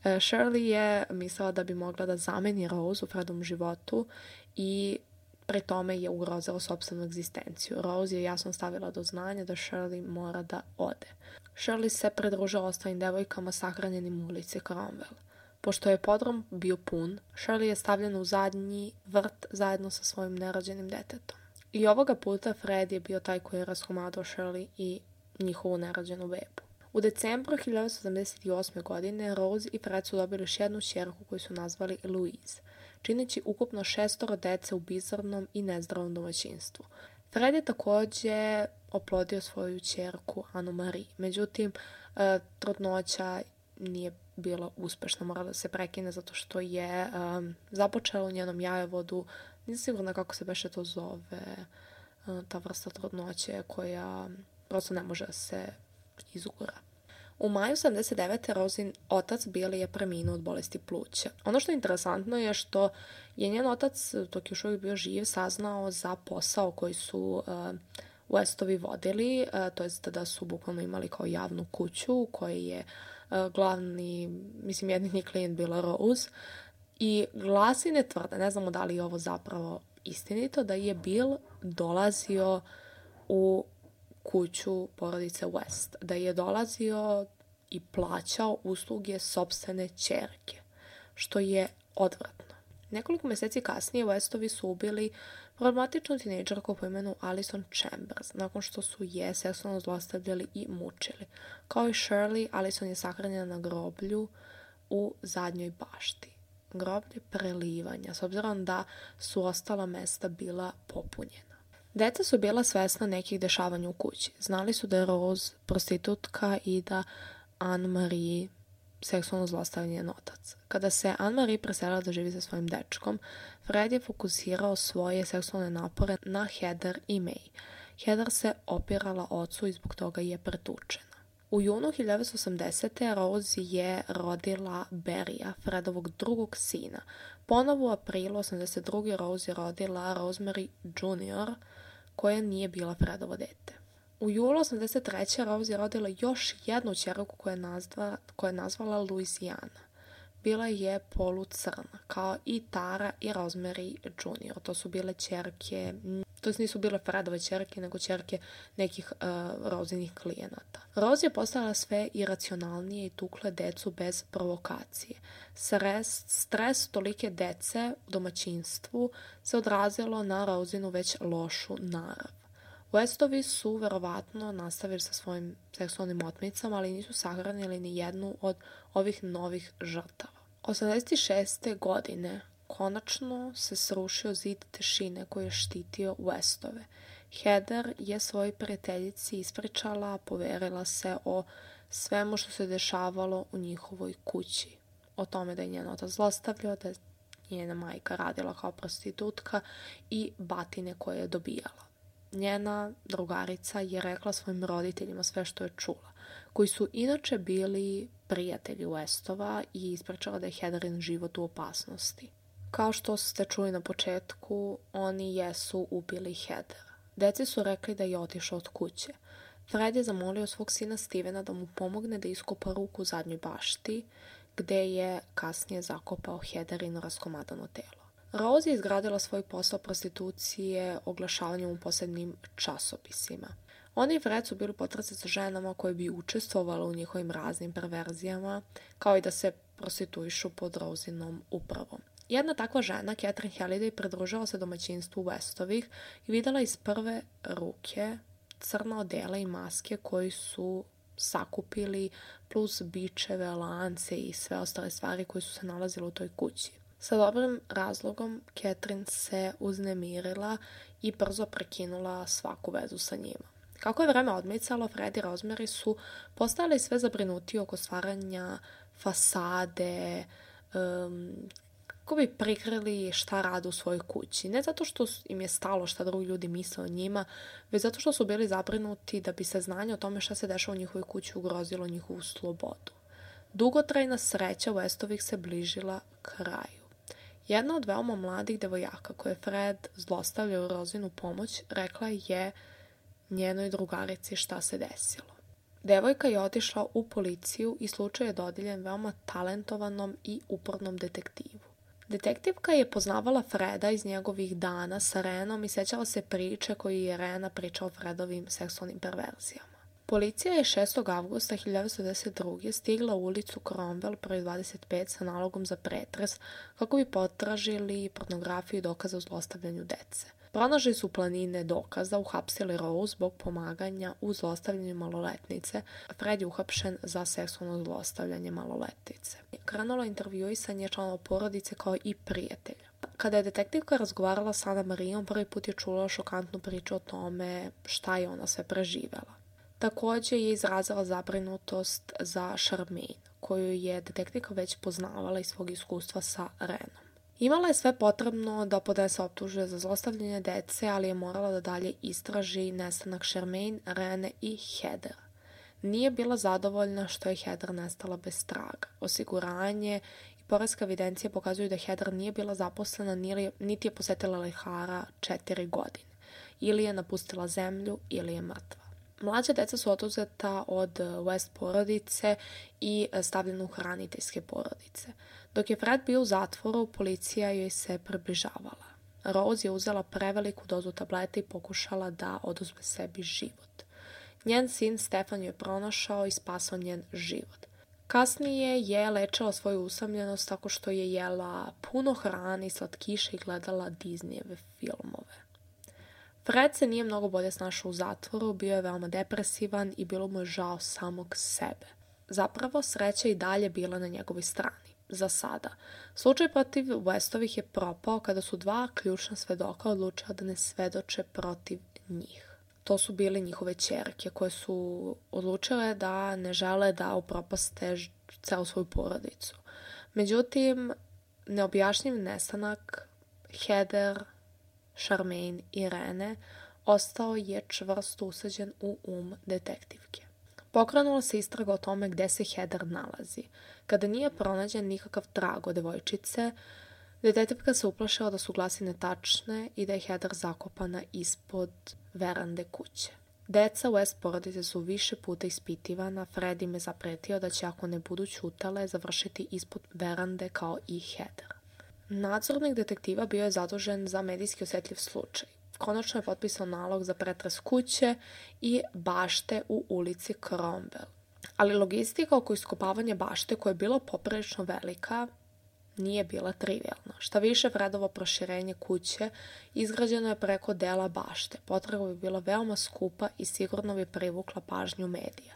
Shirley je mislila da bi mogla da zameni Rose u Fredovom životu i pri tome je ugrozila sopstvenu egzistenciju. Rose je jasno stavila do znanja da Shirley mora da ode. Shirley se pridružila ostalim devojkama sahranjenim u ulici Cromwell. Pošto je podrum bio pun, Shirley je stavljena u zadnji vrt zajedno sa svojim nerođenim detetom. I ovoga puta Fred je bio taj koji je raskomadao Shirley i njihovu nerođenu bebu. U decembru hiljadu devetsto sedamdeset osme. godine Rose i Fred su dobili još jednu ćerku koju su nazvali Louise, čineći ukupno šestoro dece u bizarnom i nezdravom domaćinstvu. Fred je također oplodio svoju ćerku Annu Marie, međutim trudnoća nije bila uspešna, morala da se prekine zato što je um, započela u njenom jajovodu, nisam sigurna kako se beše to zove, ta vrsta trudnoće koja prosto ne može da se izgura. U maju sedamdeset devete. Rosin otac Billy je preminuo od bolesti pluća. Ono što je interesantno je što je njen otac, dok je još uvijek bio živ, saznao za posao koji su uh, Westovi vodili, uh, to jest da su bukvalno imali kao javnu kuću koji je uh, glavni, mislim jedini klijent bila Rose, i glasine tvrde, ne znamo da li je ovo zapravo istinito, da je Bill dolazio u kuću porodice West, da je dolazio i plaćao usluge sopstvene ćerke, što je odvratno. Nekoliko mjeseci kasnije Westovi su ubili problematičnu tinejdžerku po imenu Alison Chambers, nakon što su je seksualno zlostavljali i mučili. Kao i Shirley, Alison je sahranjena na groblju u zadnjoj bašti. Groblje prelivanja, s obzirom da su ostala mesta bila popunjena. Deca su bila svesna nekih dešavanja u kući. Znali su da je Rose prostitutka i da Anne-Marie seksualno zlostavlja njen otac. Kada se Anne-Marie preselila da živi sa svojim dečkom, Fred je fokusirao svoje seksualne napore na Heather i May. Heather se opirala ocu i zbog toga je pretučena. U junu hiljadu devetsto osamdesete. Rose je rodila Barrya, Fredovog drugog sina. Ponovo u aprilu osamdeset druge. Rose je rodila Rosemary junior, koja nije bila Fredovo dete. U julu osamdeset treće. Rose je rodila još jednu ćerku koju je, nazva, koju je nazvala Louisiana. Bila je polucrna, kao i Tara i Rosemary junior To su bile ćerke, to nisu bile Fredove ćerke, nego ćerke nekih uh, Rosinih klijenata. Rose je postala sve iracionalnije i tukle decu bez provokacije. Stres, stres tolike dece u domaćinstvu se odrazilo na Rosinu već lošu narav. Westovi su verovatno nastavili sa svojim seksualnim otmicama, ali nisu sahranili ni jednu od ovih novih žrtava. osamdeset šeste. godine konačno se srušio zid tišine koji je štitio Westove. Heather je svojoj prijateljici ispričala, poverila se o svemu što se dešavalo u njihovoj kući. O tome da je njen otac zlostavljao, da je njena majka radila kao prostitutka i batine koje je dobijala. Njena drugarica je rekla svojim roditeljima sve što je čula, koji su inače bili prijatelji Westova, i ispričala da je Heatherin život u opasnosti. Kao što ste čuli na početku, oni jesu ubili Heather. Deci su rekli da je otišao od kuće. Fred je zamolio svog sina Stevena da mu pomogne da iskopa ruku u zadnjoj bašti, gde je kasnije zakopao Heatherino raskomadano telo. Rose je izgradila svoj posao prostitucije oglašavanjem u posebnim časopisima. Oni i Fred su bili potrazi za ženama koje bi učestvovale u njihovim raznim perverzijama, kao i da se prostituišu pod Rosinom upravom. Jedna takva žena, Catherine Halliday, pridružila se domaćinstvu Westovih i videla iz prve ruke crna odela i maske koji su sakupili, plus bičeve, lance i sve ostale stvari koje su se nalazile u toj kući. Sa dobrim razlogom Catherine se uznemirila i brzo prekinula svaku vezu sa njima. Kako je vreme odmicalo, Fred i Rosemary su postali sve zabrinutiji oko stvaranja fasade, um, kako bi prikrili šta rade u svojoj kući. Ne zato što im je stalo šta drugi ljudi misle o njima, već zato što su bili zabrinuti da bi se znanje o tome šta se dešava u njihovoj kući ugrozilo njihovu slobodu. Dugotrajna sreća Westovih se bližila kraju. Jedna od veoma mladih devojaka koje Fred zlostavljao Rosinu pomoć rekla je njenoj drugarici šta se desilo. Devojka je otišla u policiju i slučaj je dodijeljen veoma talentovanom i upornom detektivu. Detektivka je poznavala Freda iz njegovih dana sa Renom i sećala se priče koju je Rena pričao o Fredovim seksualnim perverzijama. Policija je šestog avgusta hiljadu devetsto devedeset druge. stigla u ulicu Cromwell broj dvadeset pet sa nalogom za pretres kako bi potražili pornografiju i dokaze o zlostavljanju dece. Pronašli su planine dokaza, uhapsili Rose zbog pomaganja u zlostavljanju maloletnice. Fred je uhapšen za seksualno zlostavljanje maloletnice. Krenulo intervjuisanje članova porodice kao i prijatelja. Kada je detektivka razgovarala sa Anne-Mariom, prvi put je čula šokantnu priču o tome šta je ona sve preživela. Također je izrazila zabrinutost za Charmaine, koju je detektivka već poznavala iz svog iskustva sa Renom. Imala je sve potrebno da podnese optužbe za zlostavljanje dece, ali je morala da dalje istraži nestanak Charmaine, Rene i Heather. Nije bila zadovoljna što je Heather nestala bez traga. Osiguranje i poreska evidencija pokazuju da Heather nije bila zaposlena, niti je posetila lekara četiri godine. Ili je napustila zemlju, ili je mrtva. Mlađa deca su oduzeta od West porodice i stavljena u hraniteljske porodice. Dok je Fred bio u zatvoru, policija joj se približavala. Rose je uzela preveliku dozu tableta i pokušala da oduzme sebi život. Njen sin Stefan joj je pronašao i spasao njen život. Kasnije je lečila svoju usamljenost tako što je jela puno hrane i slatkiša i gledala Disneyjeve filmove. Fred se nije mnogo bolje snašao u zatvoru, bio je veoma depresivan i bilo mu je žao samog sebe. Zapravo, sreća i dalje bila na njegovoj strani. Za sada. Slučaj protiv Westovih je propao kada su dva ključna svedoka odlučila da ne svedoče protiv njih. To su bile njihove ćerke koje su odlučile da ne žele da upropaste celu svoju porodicu. Međutim, neobjašnjiv nestanak Heather, Charmaine i Rene ostao je čvrsto usađen u um detektivke. Pokrenula se istraga o tome gde se Heather nalazi. Kada nije pronađen nikakav trag od devojčice, detektivka se uplašila da su glasine tačne i da je Heather zakopana ispod verande kuće. Deca West porodice su više puta ispitivana, Fred im je zapretio da će, ako ne budu ćutale, završiti ispod verande kao i Heather. Nadzornik detektiva bio je zadužen za medijski osjetljiv slučaj. Konačno je potpisao nalog za pretres kuće i bašte u ulici Cromwell. Ali logistika oko iskopavanja bašte, koja je bila poprilično velika, nije bila trivialna. Šta više, Fredovo proširenje kuće izgrađeno je preko dela bašte. Potraga bi bila veoma skupa i sigurno bi privukla pažnju medija.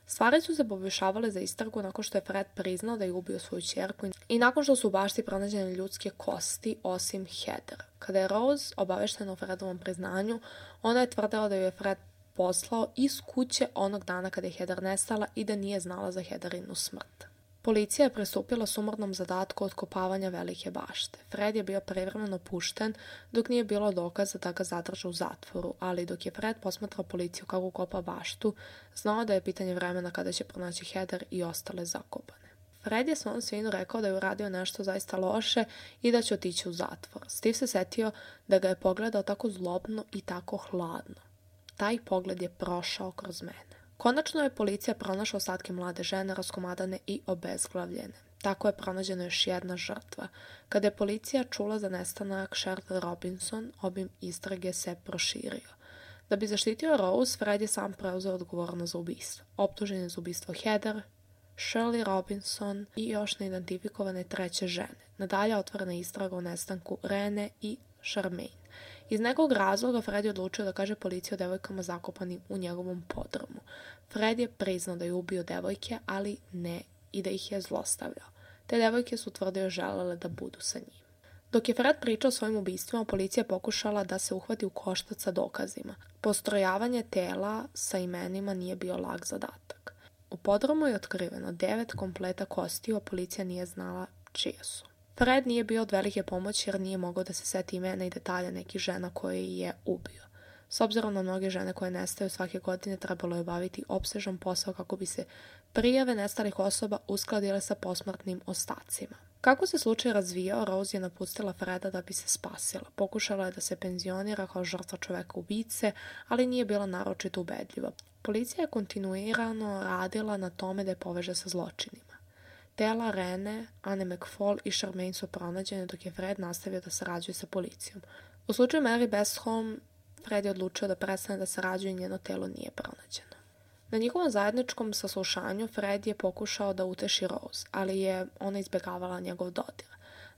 Stvari su se poboljšavale za istragu nakon što je Fred priznao da je ubio svoju ćerku i nakon što su u bašti pronađene ljudske kosti, osim Heather. Kada je Rose obaveštena o Fredovom priznanju, ona je tvrdila da ju je Fred poslao iz kuće onog dana kada je Heather nestala i da nije znala za Heatherinu smrt. Policija je pristupila sumornom zadatku otkopavanja velike bašte. Fred je bio privremeno pušten dok nije bilo dokaza da ga zadrže u zatvoru, ali dok je Fred posmatrao policiju kako kopa baštu, znao da je pitanje vremena kada će pronaći Heather i ostale zakopane. Fred je svom sinu rekao da je uradio nešto zaista loše i da će otići u zatvor. Steve se setio da ga je pogledao tako zlobno i tako hladno. Taj pogled je prošao kroz mene. Konačno je policija pronašla ostatke mlade žene, raskomadane i obezglavljene. Tako je pronađena još jedna žrtva. Kada je policija čula za nestanak Cheryl Robinson, obim istrage se proširio. Da bi zaštitio Rose, Fred je sam preuzeo odgovornost za ubistvo. Optužen je za ubistvo Heather, Shirley Robinson i još neidentifikovane treće žene. Nadalje otvorena istraga o nestanku Rene i Charmaine. Iz nekog razloga Fred je odlučio da kaže policiji o devojkama zakopanim u njegovom podrumu. Fred je priznao da je ubio devojke, ali ne i da ih je zlostavljao. Te devojke su tvrdio želele da budu sa njim. Dok je Fred pričao o svojim ubistvima, policija pokušala da se uhvati u koštac sa dokazima. Postrojavanje tela sa imenima nije bio lak zadatak. U podrumu je otkriveno devet kompleta kostiju, a policija nije znala čije su. Fred nije bio od velike pomoći jer nije mogao da se seti imena i detalja nekih žena koje je ubio. S obzirom na mnoge žene koje nestaju svake godine, trebalo je obaviti opsežan posao kako bi se prijave nestalih osoba uskladile sa posmrtnim ostacima. Kako se slučaj razvijao, Rose je napustila Freda da bi se spasila. Pokušala je da se penzionira kao žrtva čoveka ubice, ali nije bila naročito ubedljiva. Policija je kontinuirano radila na tome da je poveže sa zločinima. Tela Rene, Anne McFall i Charmaine su pronađene dok je Fred nastavio da sarađuje sa policijom. U slučaju Mary Besholm, Fred je odlučio da prestane da sarađuje i njeno telo nije pronađeno. Na njihovom zajedničkom saslušanju Fred je pokušao da uteši Rose, ali je ona izbjegavala njegov dodir.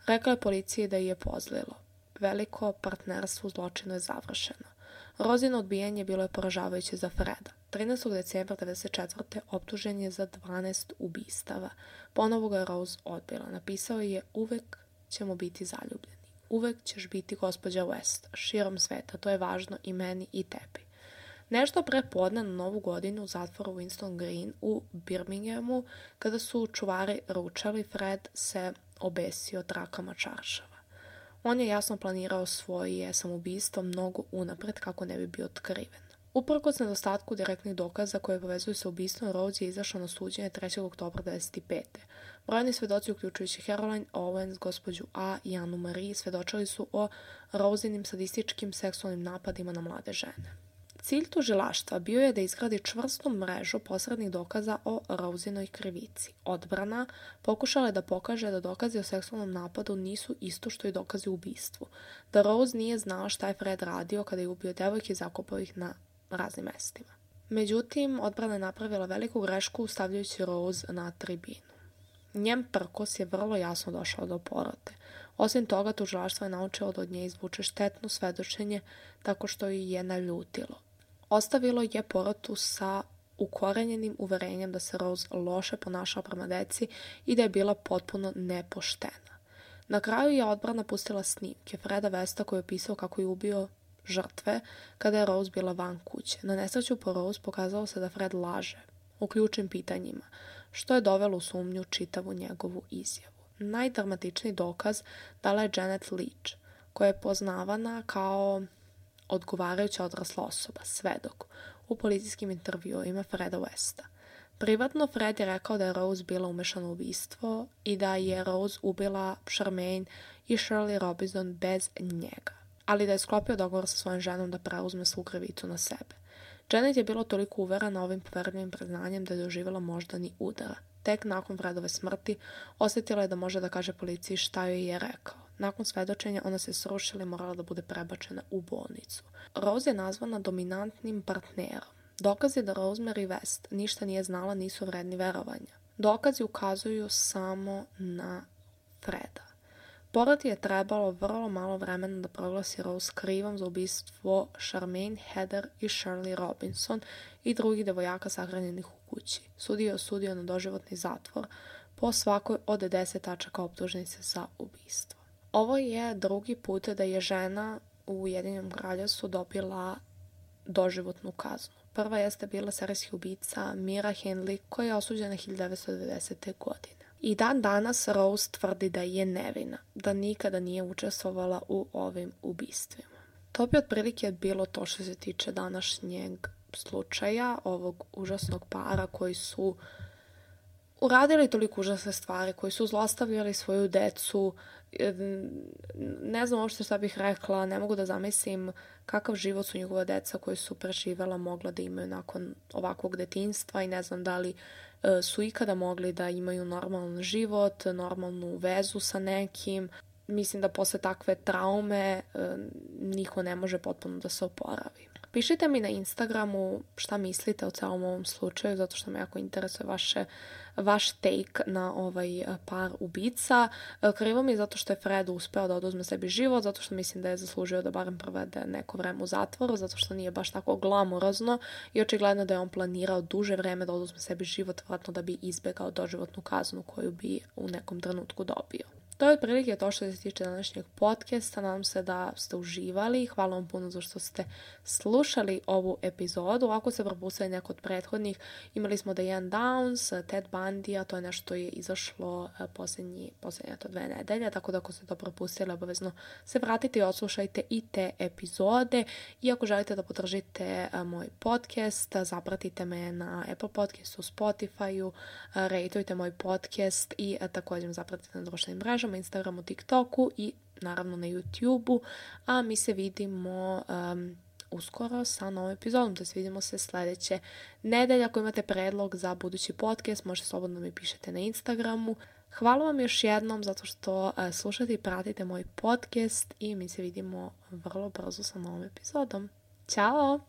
Rekao je policiji da je pozlilo. Veliko partnerstvo u zločinu je završeno. Rozino odbijanje bilo je poražavajuće za Freda. trinaestog decembra devedeset četvrte optužen je za dvanaest ubistava. Ponovo ga je Rose odbila. Napisao je: uvek ćemo biti zaljubljeni. Uvek ćeš biti gospođa West, širom sveta. To je važno i meni i tebi. Nešto pre podne na Novu godinu u zatvoru Winston Green u Birminghamu, kada su čuvari ručali, Fred se obesio trakama čaršava. On je jasno planirao svoje samoubistvo mnogo unapred kako ne bi bio otkriven. Uprkos nedostatku direktnih dokaza koje povezuju sa ubistvom, Rose je izašao na suđenje trećeg oktobra devedeset pete. Brojni svedoci, uključujući Caroline Owens, gospođu A i Anu Marie, svedočili su o Rosinim sadističkim seksualnim napadima na mlade žene. Cilj tužilaštva bio je da izgradi čvrstu mrežu posrednih dokaza o Rosinoj krivici. Odbrana pokušala je da pokaže da dokazi o seksualnom napadu nisu isto što i dokazi o ubistvu, da Rose nije znala šta je Fred radio kada je ubio devojke i zakopao ih na raznim mestima. Međutim, odbrana je napravila veliku grešku stavljajući Rose na tribinu. Njen prkos je vrlo jasno došao do porote. Osim toga, tužilaštvo je naučilo da od nje izvuče štetno svedočenje tako što ju je naljutilo. Ostavilo je porotu sa ukorenjenim uverenjem da se Rose loše ponašala prema deci i da je bila potpuno nepoštena. Na kraju je odbrana pustila snimke Freda Westa koji je opisao kako je ubio žrtve kada je Rose bila van kuće. Na nesreću po Rose pokazalo se da Fred laže u ključnim pitanjima, što je dovelo u sumnju čitavu njegovu izjavu. Najdramatičniji dokaz dala je Janet Leach, koja je poznavana kao odgovarajuća odrasla osoba, svedok, u policijskim intervjuima Freda Westa. Privatno, Fred je rekao da je Rose bila umešana u ubistvo i da je Rose ubila Charmaine i Shirley Robinson bez njega, ali da je sklopio dogovor sa svojom ženom da preuzme svu krivicu na sebe. Janet je bila toliko uverena ovim poverljivim priznanjem da je doživjela moždani udar. Tek nakon Fredove smrti osjetila je da može da kaže policiji šta joj je rekao. Nakon svedočenja ona se srušila i morala da bude prebačena u bolnicu. Rose je nazvana dominantnim partnerom. Dokazi da Rosemary West ništa nije znala nisu vredni verovanja. Dokazi ukazuju samo na Freda. Poroti je trebalo vrlo malo vremena da proglasi Rose krivom za ubistvo Charmaine, Heather i Shirley Robinson i drugih devojaka sahranjenih u kući. Sudija je osudio na doživotni zatvor po svakoj od deset tačaka optužnice za ubistvo. Ovo je drugi put da je žena u Ujedinjenom Kraljevstvu dobila doživotnu kaznu. Prva jeste bila serijski ubica Mira Hindley koja je osuđena hiljadu devetsto devedesete. godine. I dan danas Rose tvrdi da je nevina, da nikada nije učestvovala u ovim ubistvima. To bi otprilike bilo to što se tiče današnjeg slučaja, ovog užasnog para koji su uradili toliko užasne stvari, koji su zlostavljali svoju decu. Ne znam uopšte šta bih rekla, ne mogu da zamislim kakav život su njegova deca koji su preživela mogla da imaju nakon ovakvog detinjstva i ne znam da li su ikada mogli da imaju normalan život, normalnu vezu sa nekim. Mislim da posle takve traume niko ne može potpuno da se oporavi. Pišite mi na Instagramu šta mislite o celom ovom slučaju, zato što me jako interesuje vaše, vaš take na ovaj par ubica. Krivo mi je zato što je Fred uspeo da oduzme sebi život, zato što mislim da je zaslužio da barem provede neko vreme u zatvoru, zato što nije baš tako glamurozno i očigledno da je on planirao duže vreme da oduzme sebi život, vratno da bi izbegao doživotnu kaznu koju bi u nekom trenutku dobio. To je otprilike to što se tiče današnjeg podcasta. Nadam se da ste uživali. Hvala vam puno za što ste slušali ovu epizodu. Ako ste propustili neko od prethodnih, imali smo Diane Downs, Ted Bundy, a to je nešto je izašlo posljednji, posljednje to dve nedelje, tako da ako ste to propustili, obavezno se vratite i odslušajte i te epizode. I ako želite da podržite moj podcast, zapratite me na Apple Podcastu, Spotify-u, rejtujte moj podcast i također zapratite na društvenim mrežama, Instagramu, TikToku i naravno na YouTubeu, a mi se vidimo um, uskoro sa novom epizodom, da se vidimo se sljedeće nedelje. Ako imate predlog za budući podcast, možete slobodno mi pišete na Instagramu. Hvala vam još jednom zato što uh, slušate i pratite moj podcast i mi se vidimo vrlo brzo sa novom epizodom. Ćao!